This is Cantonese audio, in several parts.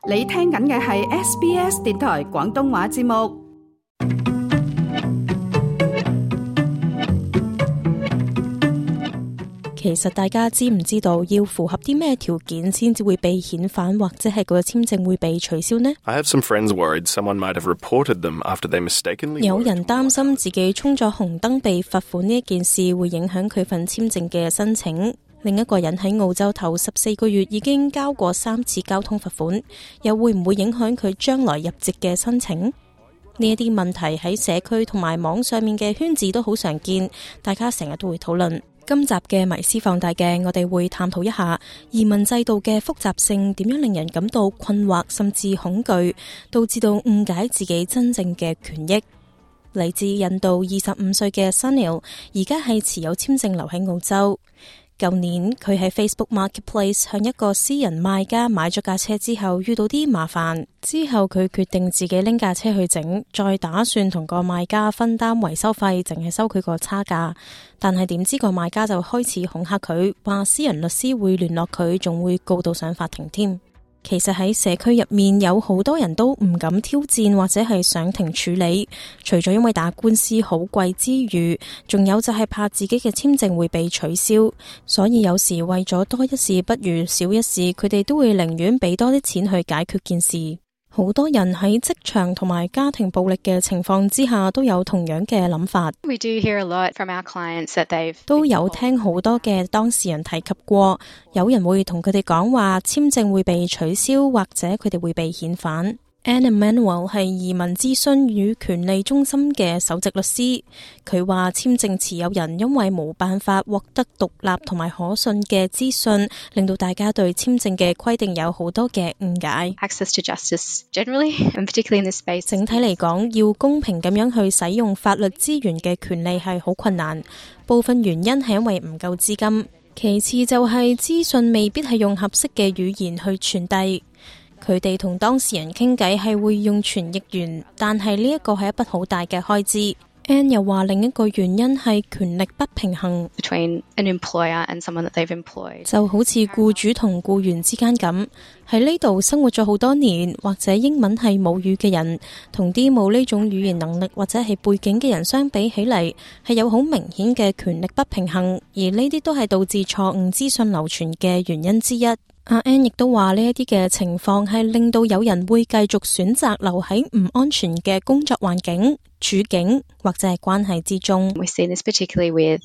你聽緊嘅係 SBS 電台廣東話節目。其實大家知唔知道要符合啲咩條件先至會被遣返，或者係個簽證會被取消呢？ I have some friends worried someone might have reported them after they mistakenly. 有人擔心自己衝咗紅燈被罰款呢一件事會影響佢份簽證嘅申請。另一個人喺澳洲頭14個月已經交過3次交通罰款，又會唔會影響佢將來入籍嘅申請？呢一啲問題喺社區同埋網上面嘅圈子都好常見，大家成日都會討論。今集嘅迷思放大鏡，我哋會探討一下移民制度嘅複雜性，點樣令人感到困惑甚至恐懼，導致到誤解自己真正嘅權益。嚟自印度25歲嘅 Sunil， 而家係持有簽證留喺澳洲。舊年佢喺 Facebook Marketplace 向一個私人賣家買咗架車之後，遇到啲麻煩，之後佢決定自己拎架車去整，再打算同個賣家分擔維修費，淨係收佢個差價。但係點知個賣家就開始恐嚇佢，話私人律師會聯絡佢，仲會告到上法庭添。其實喺社區入面有好多人都唔敢挑戰或者係上庭處理，除咗因為打官司好貴之餘，仲有就係怕自己嘅簽證會被取消，所以有時為咗多一事不如少一事，佢哋都會寧願俾多啲錢去解決件事。好多人喺職場同埋家庭暴力嘅情況之下都有同樣嘅諗法。We do hear a lot from our clients that they've 都有聽好多嘅當事人提及過，有人會同佢哋講話簽證會被取消，或者佢哋會被遣返。Anna Manuel 係移民諮詢與權利中心嘅首席律師，佢話簽證持有人因為冇辦法獲得獨立同埋可信嘅資訊，令到大家對簽證嘅規定有好多嘅誤解。access to justice generally, and particularly in this space. 整體嚟講，要公平咁樣去使用法律資源嘅權利係好困難，部分原因係因為唔夠資金，其次就係資訊未必係用合適嘅語言去傳遞。佢哋同當事人傾偈係會用傳譯員，但係呢一個係一筆好大嘅開支。Anne 又話另一個原因係權力不平衡 between an employer and someone that they've employed. 就好似僱主同僱員之間咁，喺呢度生活咗好多年，或者英文係母語嘅人，同啲冇呢種語言能力或者係背景嘅人相比起嚟，係有好明顯嘅權力不平衡，而呢啲都係導致錯誤資訊流傳嘅原因之一。阿 Anne 亦都話呢一啲嘅情況係令到有人會繼續選擇留喺唔安全嘅工作環境、處境或者係關係之中。We see this particularly with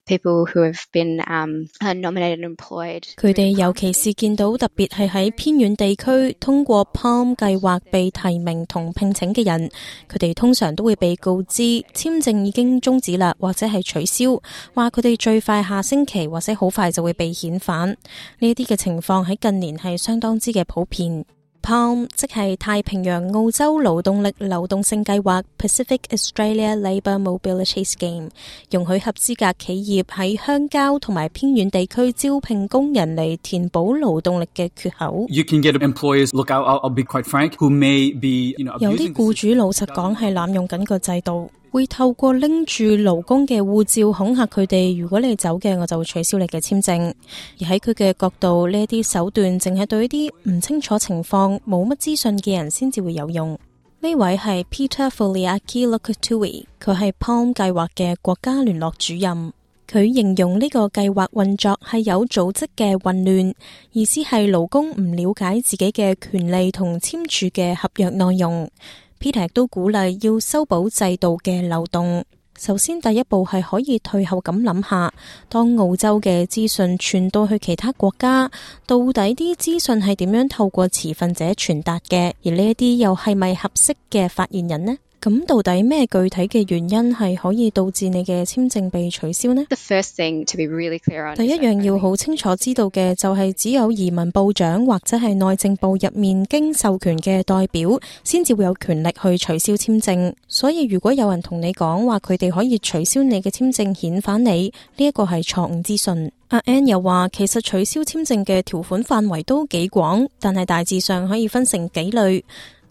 people who have been nominated and employed. 佢哋尤其是見到特別係喺偏遠地區通過 PALM 計劃被提名同聘請嘅人，佢哋通常都會被告知簽證已經終止啦，或者係取消，話佢哋最快下星期或者好快就會被遣返。呢啲嘅情況喺近年係相當之嘅普遍。PALM 即係太平洋澳洲勞動力流動性計劃 Pacific Australia Labour Mobility Scheme， 容許合資格企業喺鄉郊同埋偏遠地區招聘工人嚟填補勞動力嘅缺口。You can get employers, look, I'll be quite frank, who may be, abusing 有啲僱主老實講係濫用緊個制度，會透過拎住勞工嘅護照恐嚇佢哋，如果你走嘅，我就會取消你嘅簽證。而喺佢嘅角度，呢啲手段淨係對一啲唔清楚情況、冇乜資訊嘅人先至會有用。呢位係 Peter Foliaki Lokatui， 佢係 PALM 計劃嘅國家聯絡主任。佢形容呢個計劃運作係有組織嘅混亂，意思係勞工唔了解自己嘅權利同簽署嘅合約內容。Peter 都鼓勵要修補制度嘅漏洞。首先第一步係可以退後咁諗下，當澳洲嘅資訊傳到去其他國家，到底啲資訊係點樣透過持份者傳達嘅，而呢一啲又係咪合適嘅發言人呢？咁到底咩具體嘅原因係可以導致你嘅簽證被取消呢？ The first thing to be really clear on 第一樣要好清楚知道嘅就係只有移民部長或者係內政部入面經授權嘅代表先至會有權力去取消簽證。所以如果有人同你講話佢哋可以取消你嘅簽證遣返你，呢一個係錯誤資訊。阿 Anne 又話其實取消簽證嘅條款範圍都幾廣，但係大致上可以分成幾類。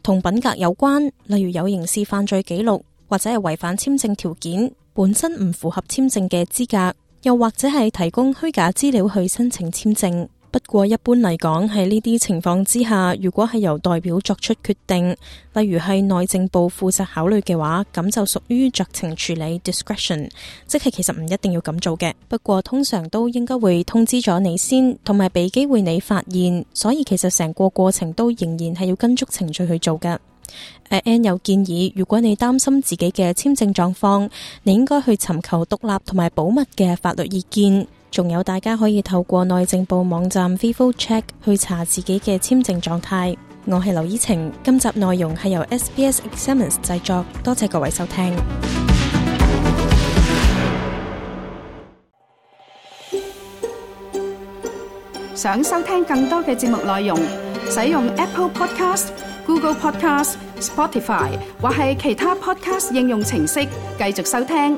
同品格有關，例如有刑事犯罪記錄，或者係違反簽證條件，本身唔符合簽證嘅資格，又或者係提供虛假資料去申請簽證。不過一般嚟講，喺呢啲情況之下，如果係由代表作出決定，例如係內政部負責考慮嘅話，咁就屬於酌情處理 discretion， 即係其實唔一定要咁做嘅。不過通常都應該會通知咗你先，同埋俾機會你發現，所以其實成個過程都仍然係要跟足程序去做嘅。Anne 有建議，如果你擔心自己嘅簽證狀況，你應該去尋求獨立同埋保密嘅法律意見。仲有大家可以透過內政部網站 Vivo Check 去查自己嘅簽證狀態。我係劉依晴，今集內容係由 SBS Examines 製作，多謝各位收聽。想收聽更多嘅節目內容，使用 Apple Podcast、Google Podcast、Spotify 或係其他 Podcast 應用程式繼續收聽。